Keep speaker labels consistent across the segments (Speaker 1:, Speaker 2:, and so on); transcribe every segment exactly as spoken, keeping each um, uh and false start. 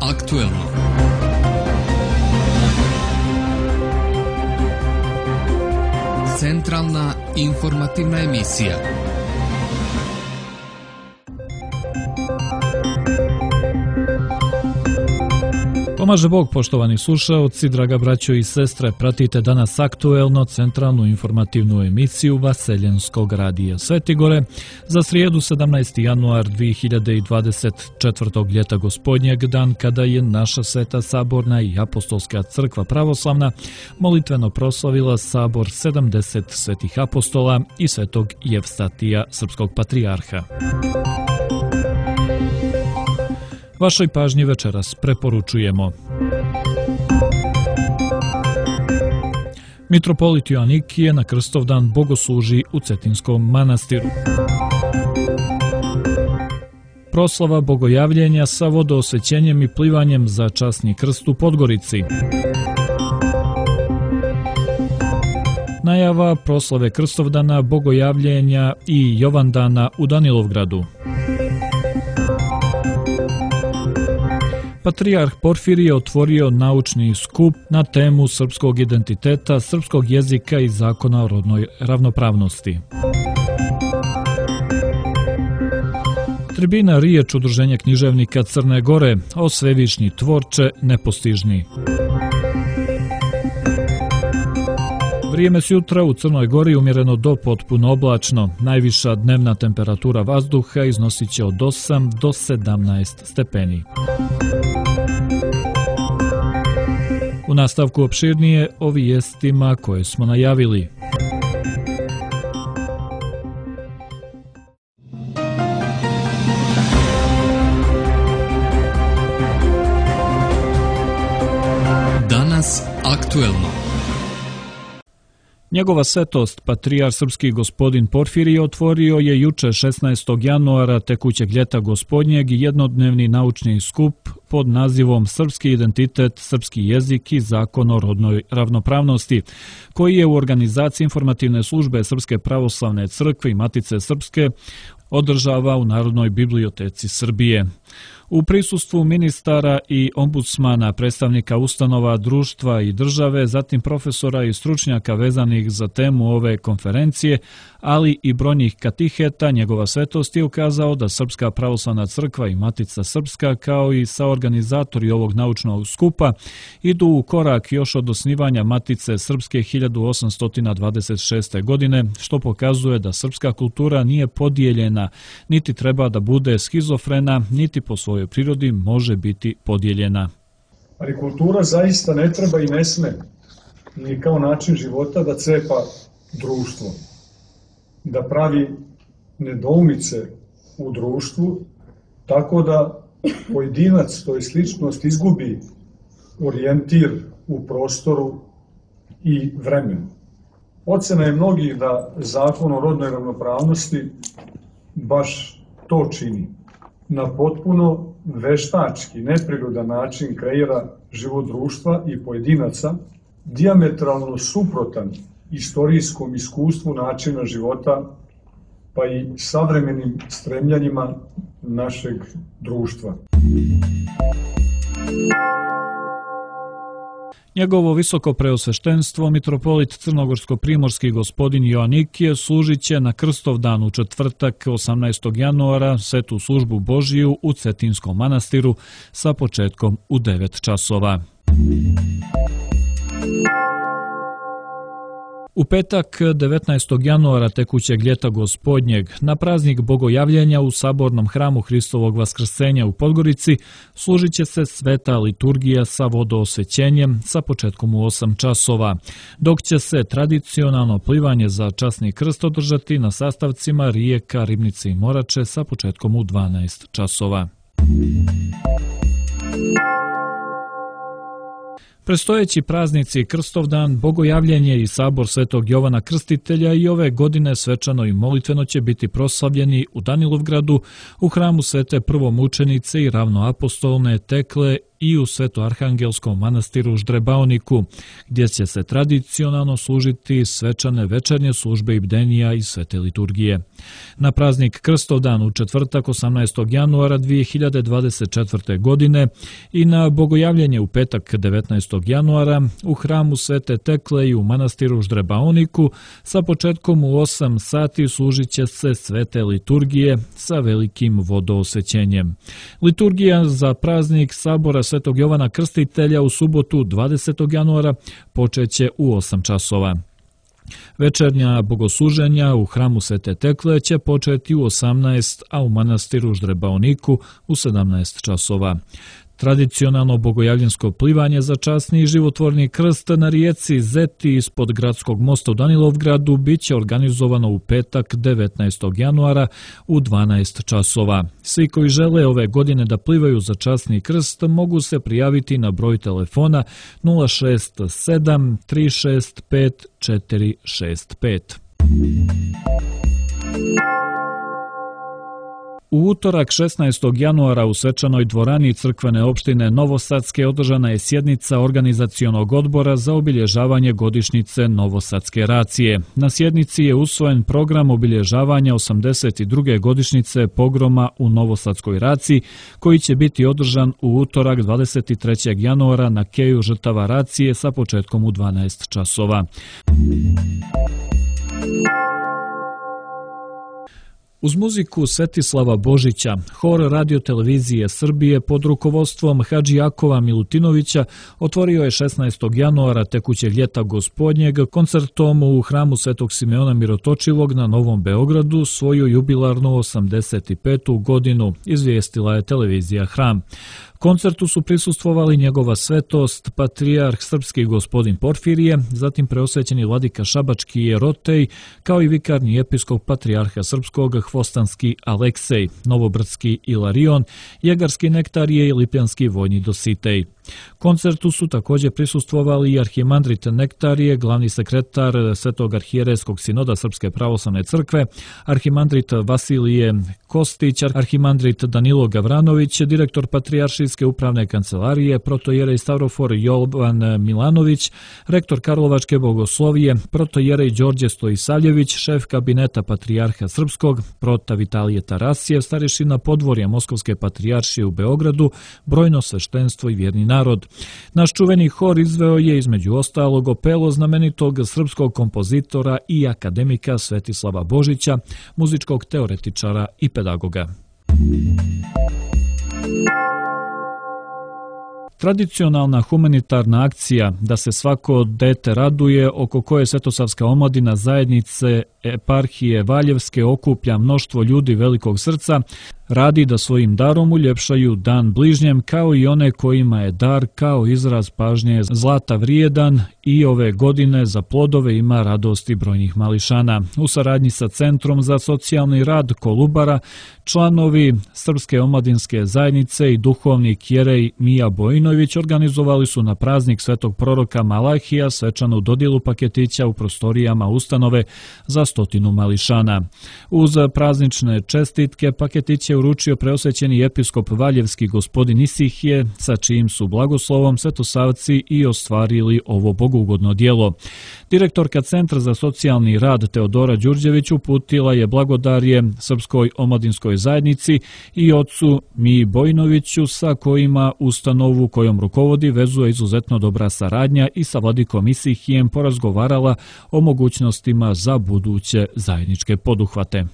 Speaker 1: aktuelno. Centralna informativna emisija.
Speaker 2: Pomaže Bog, poštovani slušaoci, draga braćo i sestre, pratite danas aktuelno centralnu informativnu emisiju Vaseljenskog radija Svetigore za srijedu sedamnaesti januar dvije hiljade dvadeset četvrtog ljeta gospodnjeg, dan kada je naša Sveta Saborna i Apostolska crkva pravoslavna molitveno proslavila sabor sedamdeset svetih apostola i svetog Jevstatija, srpskog patrijarha. Vašoj pažnji večeras preporučujemo. Mitropolit Joanikije na Krstovdan bogosluži u Cetinskom manastiru. Proslava bogojavljenja sa vodoosvećenjem i plivanjem za časni krst u Podgorici. Najava proslave Krstovdana, bogojavljenja i Jovandana u Danilovgradu. Patrijarh Porfirije otvorio naučni skup na temu srpskog identiteta, srpskog jezika i zakona o rodnoj ravnopravnosti. Tribina riječ Udruženja književnika Crne Gore o svevišnji tvorče nepostižni. Vrijeme sjutra u Crnoj Gori umjereno do potpuno oblačno. Najviša dnevna temperatura vazduha iznosit će od osam do sedamnaest stepeni. U nastavku opširnije o vijestima koje smo najavili.
Speaker 1: Danas aktuelno.
Speaker 2: Njegova svetost, patrijarh srpski gospodin Porfirije, otvorio je juče šesnaestog januara tekućeg ljeta gospodnjeg jednodnevni naučni skup pod nazivom Srpski identitet, srpski jezik i zakon o rodnoj ravnopravnosti, koji je u organizaciji informativne službe Srpske pravoslavne crkve i Matice Srpske održava u Narodnoj biblioteci Srbije. U prisustvu ministara i ombudsmana, predstavnika ustanova, društva i države, zatim profesora i stručnjaka vezanih za temu ove konferencije, ali i brojnih katiheta, njegova svetost je ukazao da Srpska pravoslavna crkva i Matica Srpska, kao i saorganizatori ovog naučnog skupa, idu u korak još od osnivanja Matice Srpske hiljadu osamsto dvadeset šeste. godine, što pokazuje da srpska kultura nije podijeljena, niti treba da bude schizofrena, niti po svojoj prirodi može biti podijeljena.
Speaker 3: Ali kultura zaista ne treba i ne sme, ni kao način života, da cepa društvo, da pravi nedoumice u društvu, tako da pojedinac, to je sličnost, izgubi orijentir u prostoru i vremenu. Ocena je mnogih da zakon o rodnoj ravnopravnosti baš to čini. Na potpuno veštački, neprirodan način kreira život društva i pojedinaca, dijametralno suprotan istorijskom iskustvu načina života, pa i savremenim stremljanjima našeg društva.
Speaker 2: Njegovo visoko preosveštenstvo, mitropolit crnogorsko-primorski gospodin Joanikije, služit će na Krstovdan u četvrtak osamnaestog januara svetu službu Božiju u Cetinskom manastiru sa početkom u devet časova. U petak devetnaestog januara tekućeg ljeta gospodnjeg, na praznik bogojavljenja u Sabornom hramu Hristovog vaskrsenja u Podgorici, služit će se sveta liturgija sa vodoosvećenjem sa početkom u osam časova, dok će se tradicionalno plivanje za časni krst održati na sastavcima rijeka Ribnice i Morače sa početkom u dvanaest časova. Predstojeći praznici Krstovdan, bogojavljenje i sabor Svetog Jovana Krstitelja i ove godine svečano i molitveno će biti proslavljeni u Danilovgradu u hramu Svete prvomučenice i ravnoapostolne Tekle i u Svetoarhangelskom manastiru Ždrebaoniku, gdje će se tradicionalno služiti svečane večernje službe i bdenija i svete liturgije. Na praznik Krstovdan u četvrtak osamnaestog januara dvije hiljade dvadeset četvrte. godine i na bogojavljenje u petak devetnaestog januara u hramu Svete Tekle i u manastiru Ždrebaoniku sa početkom u osam sati služit će se svete liturgije sa velikim vodoosvećenjem. Liturgija za praznik sabora Svetog Jovana Krstitelja u subotu dvadesetog januara počeće u osam časova. Večernja bogosluženja u hramu Svete Tekle će početi u osamnaest, a u manastiru Ždrebaoniku u sedamnaest časova. Tradicionalno bogojavljensko plivanje za časni i životvorni krst na rijeci Zeti ispod gradskog mosta u Danilovgradu bit će organizovano u petak devetnaestog januara u dvanaest časova. Svi koji žele ove godine da plivaju za časni krst mogu se prijaviti na broj telefona nula šest sedam tri šest pet četiri šest pet. U utorak šesnaestog januara u svečanoj dvorani crkvene opštine Novosadske održana je sjednica organizacionog odbora za obilježavanje godišnjice Novosadske racije. Na sjednici je usvojen program obilježavanja osamdeset druge godišnjice pogroma u Novosadskoj raciji, koji će biti održan u utorak dvadeset trećeg januara na keju žrtava racije sa početkom u dvanaest časova. Uz muziku Svetislava Božića, hor Radio-televizije Srbije pod rukovodstvom Hadži Jakova Milutinovića otvorio je šesnaestog januara tekućeg ljeta gospodnjeg koncertom u hramu Svetog Simeona Mirotočivog na Novom Beogradu svoju jubilarnu osamdeset petu godinu, izvijestila je televizija Hram. Koncertu su prisustvovali njegova svetost, patrijarh srpski gospodin Porfirije, zatim preosvećeni vladika Šabački Jerotej, kao i vikarni episkop patrijarha srpskog Hvostanski Aleksej, Novobrdski Ilarion, Jegarski Nektarije i Lipjanski Vojni Dositej. Koncertu su također prisustvovali i arhimandrit Nektarije, glavni sekretar Svetog arhijerejskog sinoda Srpske pravoslavne crkve, arhimandrit Vasilije Kostić, arhimandrit Danilo Gavranović, direktor patrijaršijske upravne kancelarije, protojerej Stavrofor Jovan Milanović, rektor Karlovačke bogoslovije, protojerej Đorđe Stojisavljević, šef kabineta patrijarha srpskog, prota Vitalije Tarasijev, starešina podvorja Moskovske patrijaršije u Beogradu, brojno sveštenstvo i vjerni narod. Naš čuveni hor izveo je između ostalog opelo znamenitog srpskog kompozitora i akademika Svetislava Božića, muzičkog teoretičara i pedagoga. Tradicionalna humanitarna akcija Da se svako dete raduje, oko koje Svetosavska omladina zajednice eparhije Valjevske okuplja mnoštvo ljudi velikog srca, radi da svojim darom uljepšaju dan bližnjem, kao i one kojima je dar kao izraz pažnje zlata vrijedan, i ove godine za plodove ima radosti brojnih mališana. U saradnji sa Centrom za socijalni rad Kolubara, članovi Srpske omladinske zajednice i duhovnik Jerej Mija Bojinović organizovali su na praznik svetog proroka Malahija svečanu dodjelu paketića u prostorijama ustanove za stotinu mališana. Uz praznične čestitke paketić je uručio preosvećeni episkop Valjevski gospodin Isihije, sa čijim su blagoslovom svetosavci i ostvarili ovo bogugodno djelo. Direktorka Centra za socijalni rad Teodora Đurđević uputila je blagodarje Srpskoj omladinskoj zajednici i ocu Miji Bojinoviću, sa kojima ustanovu kojom rukovodi vezuje izuzetno dobra saradnja, i sa vladikom Isihijem porazgovarala o mogućnostima za buduće zajedničke poduhvate.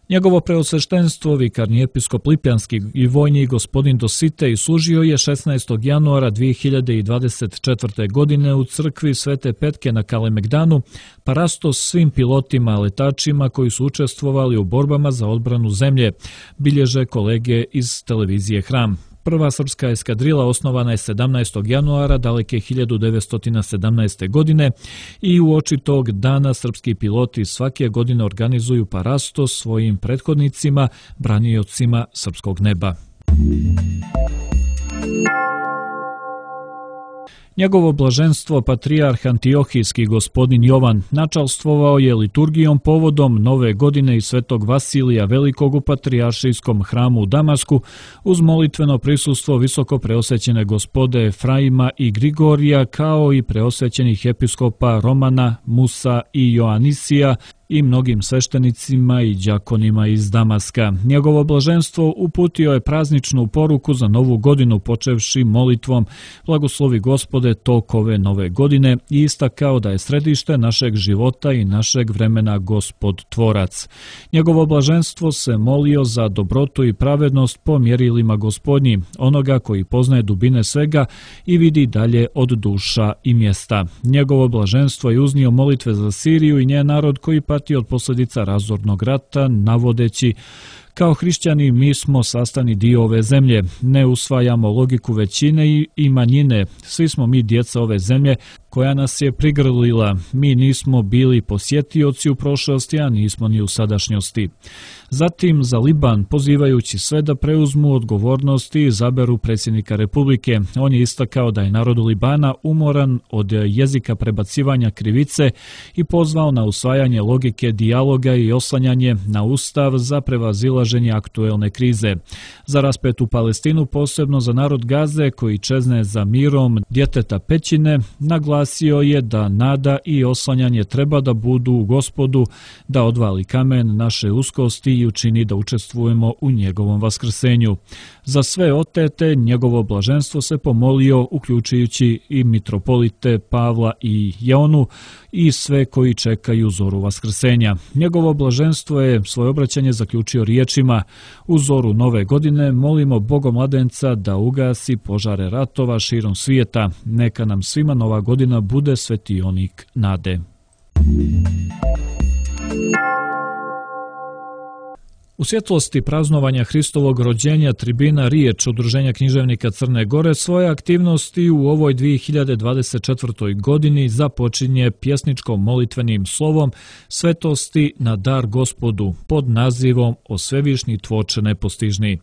Speaker 2: Njegovo preosveštenstvo, vikarni episkop Lipjanski i vojni gospodin Dositej, služio je šesnaestog januara dvije hiljade dvadeset četvrte. godine u crkvi Svete Petke na Kalemegdanu, parastos svim pilotima, letačima koji su učestvovali u borbama za odbranu zemlje, bilježe kolege iz televizije Hram. Prva srpska eskadrila osnovana je sedamnaestog januara daleke hiljadu devetsto sedamnaeste. godine i u oči tog dana srpski piloti svake godine organizuju parastos svojim prethodnicima, braniocima srpskog neba. Njegovo blaženstvo patrijarh Antiohijski gospodin Jovan načalstvovao je liturgijom povodom Nove godine i Svetog Vasilija Velikog u Patrijaršijskom hramu u Damasku uz molitveno prisustvo visoko preosvećene gospode Efraima i Grigorija kao i preosvećenih episkopa Romana, Musa i Joanisija i mnogim sveštenicima i đakonima iz Damaska. Njegovo blaženstvo uputio je prazničnu poruku za Novu godinu počevši molitvom Blagoslovi Gospode tok ove Nove godine i istakao da je središte našeg života i našeg vremena Gospod Tvorac. Njegovo blaženstvo se molio za dobrotu i pravednost po mjerilima Gospodnji, onoga koji poznaje dubine svega i vidi dalje od duša i mjesta. Njegovo blaženstvo je uznio molitve za Siriju i njen narod koji pati od posljedica razornog rata, navodeći: kao hrišćani mi smo sastavni dio ove zemlje, ne usvajamo logiku većine i manjine, svi smo mi djeca ove zemlje koja nas je prigrlila, mi nismo bili posjetioci u prošlosti, a nismo ni u sadašnjosti. Zatim za Liban, pozivajući sve da preuzmu odgovornost i izaberu predsjednika Republike, on je istakao da je narod Libana umoran od jezika prebacivanja krivice i pozvao na usvajanje logike dijaloga i oslanjanje na ustav za prevazilaženje aktuelne krize. Za raspetu Palestinu, posebno za narod Gaze koji čezne za mirom djeteta pećine, naglasio je da nada i oslanjanje treba da budu u Gospodu, da odvali kamen naše uskosti i učini da učestvujemo u njegovom vaskrsenju. Za sve otete njegovo blaženstvo se pomolio, uključujući i mitropolite Pavla i Jeonu i sve koji čekaju zoru vaskrsenja. Njegovo blaženstvo je svoje obraćanje zaključio riječima: u zoru Nove godine molimo Bogomladenca da ugasi požare ratova širom svijeta. Neka nam svima Nova godina bude svetionik nade. U svjetlosti praznovanja Hristovog rođenja tribina Riječ Udruženja književnika Crne Gore svoje aktivnosti u ovoj dvije hiljade dvadeset četvrtoj. godini započinje pjesničkom molitvenim slovom Svetosti na dar Gospodu pod nazivom O svevišnji tvorče nepostižni.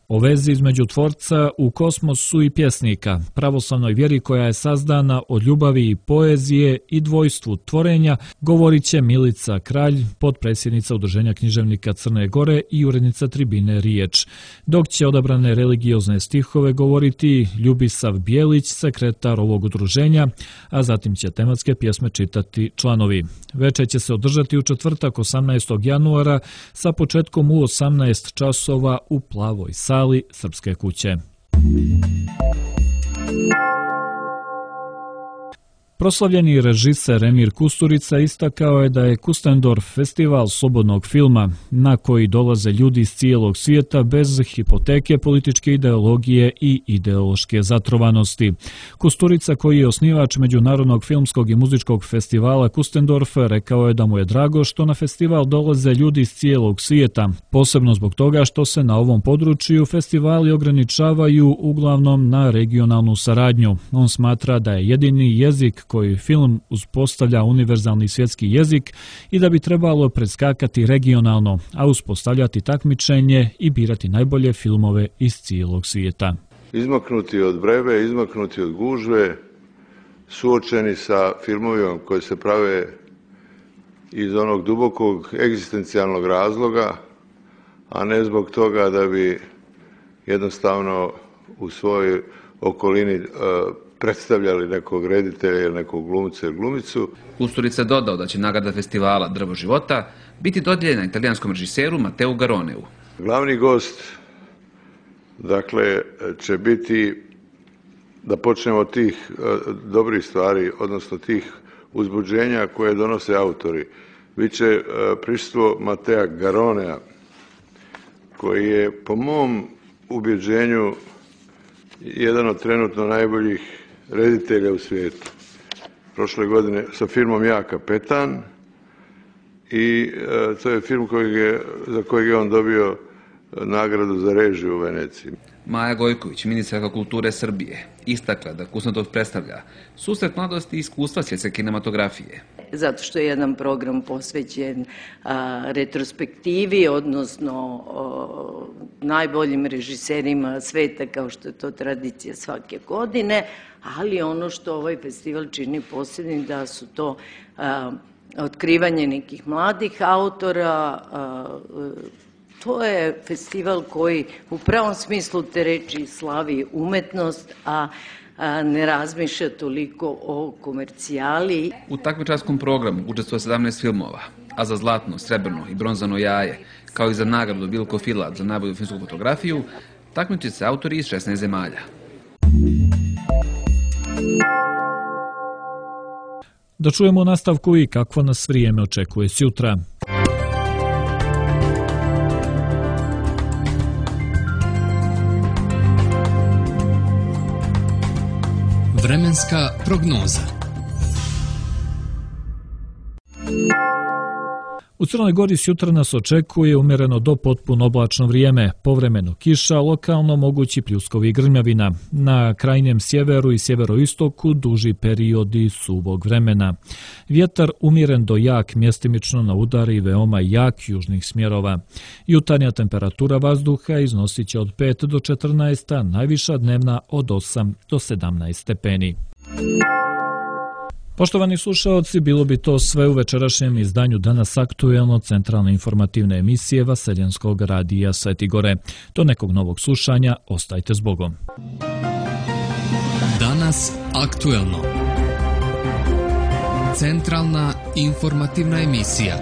Speaker 2: O vezi između tvorca u kosmosu i pjesnika, pravoslavnoj vjeri koja je sazdana od ljubavi i poezije i dvojstvu tvorenja, govorit će Milica Kralj, potpredsjednica Udruženja književnika Crne Gore i urednica tribine Riječ, dok će odabrane religiozne stihove govoriti Ljubisav Bijelić, sekretar ovog udruženja, a zatim će tematske pjesme čitati članovi. Večer će se održati u četvrtak osamnaestog januara sa početkom u osamnaest časova u Plavoj sali Srpske kuće. Proslavljeni režiser Emir Kusturica istakao je da je Kustendorf festival slobodnog filma na koji dolaze ljudi iz cijelog svijeta bez hipoteke političke ideologije i ideološke zatrovanosti. Kusturica, koji je osnivač Međunarodnog filmskog i muzičkog festivala Kustendorf, rekao je da mu je drago što na festival dolaze ljudi iz cijelog svijeta, posebno zbog toga što se na ovom području festivali ograničavaju uglavnom na regionalnu saradnju. On smatra da je jedini jezik koji film uspostavlja univerzalni svjetski jezik i da bi trebalo predskakati regionalno, a uspostavljati takmičenje i birati najbolje filmove iz cijelog svijeta.
Speaker 4: Izmaknuti od brebe, izmaknuti od gužve, suočeni sa filmovima koji se prave iz onog dubokog egzistencijalnog razloga, a ne zbog toga da bi jednostavno u svojoj okolini predstavljali nekog reditelja ili nekog glumca ili glumicu.
Speaker 5: Kusturica dodao da će nagrada festivala Drvo života biti dodijeljena italijanskom režiseru Mateu Garoneu.
Speaker 4: Glavni gost, dakle, će biti, da počnemo od tih dobrih stvari, odnosno tih uzbuđenja koje donose autori. Biće prisustvo Matea Garonea, koji je po mom ubjeđenju jedan od trenutno najboljih reditelja u svijetu. Prošle godine sa filmom Ja kapetan i e, to je film kojeg je, za kojeg je on dobio nagradu za režiju u Veneciji.
Speaker 5: Maja Gojković, ministarka kulture Srbije, istakla da Kusnatov predstavlja susret mladosti i iskustva svjetske kinematografije.
Speaker 6: Zato što je jedan program posvećen a, retrospektivi, odnosno a, najboljim režiserima sveta, kao što je to tradicija svake godine, ali ono što ovaj festival čini posebnim da su to a, otkrivanje nekih mladih autora. A, to je festival koji u pravom smislu te reči slavi umetnost, a ne razmišlja toliko o komercijali.
Speaker 5: U takmičarskom programu učestvuje sedamnaest filmova, a za zlatno, srebrno i bronzano jaje, kao i za nagradu Bilko Filat za najbolju filmsku fotografiju, takmiče se autori iz šesnaest zemalja.
Speaker 2: Da čujemo nastavku i kakvo nas vrijeme očekuje sjutra.
Speaker 1: Vremenska prognoza.
Speaker 2: U Crnoj Gori sjutra nas očekuje umjereno do potpuno oblačno vrijeme, povremeno kiša, lokalno mogući pljuskovi i grmljavina. Na krajnjem sjeveru i sjeveroistoku duži periodi suvog vremena. Vjetar umjeren do jak, mjestimično na udari i veoma jak južnih smjerova. Jutarnja temperatura vazduha iznosit će od pet do četrnaest, a najviša dnevna od osam do sedamnaest stepeni. Poštovani slušaoci, bilo bi to sve u večerašnjem izdanju Danas aktuelno centralne informativne emisije Vaseljenskog radija Svetigore. Do nekog novog slušanja, ostajte s Bogom.
Speaker 1: Danas aktuelno. Centralna informativna emisija.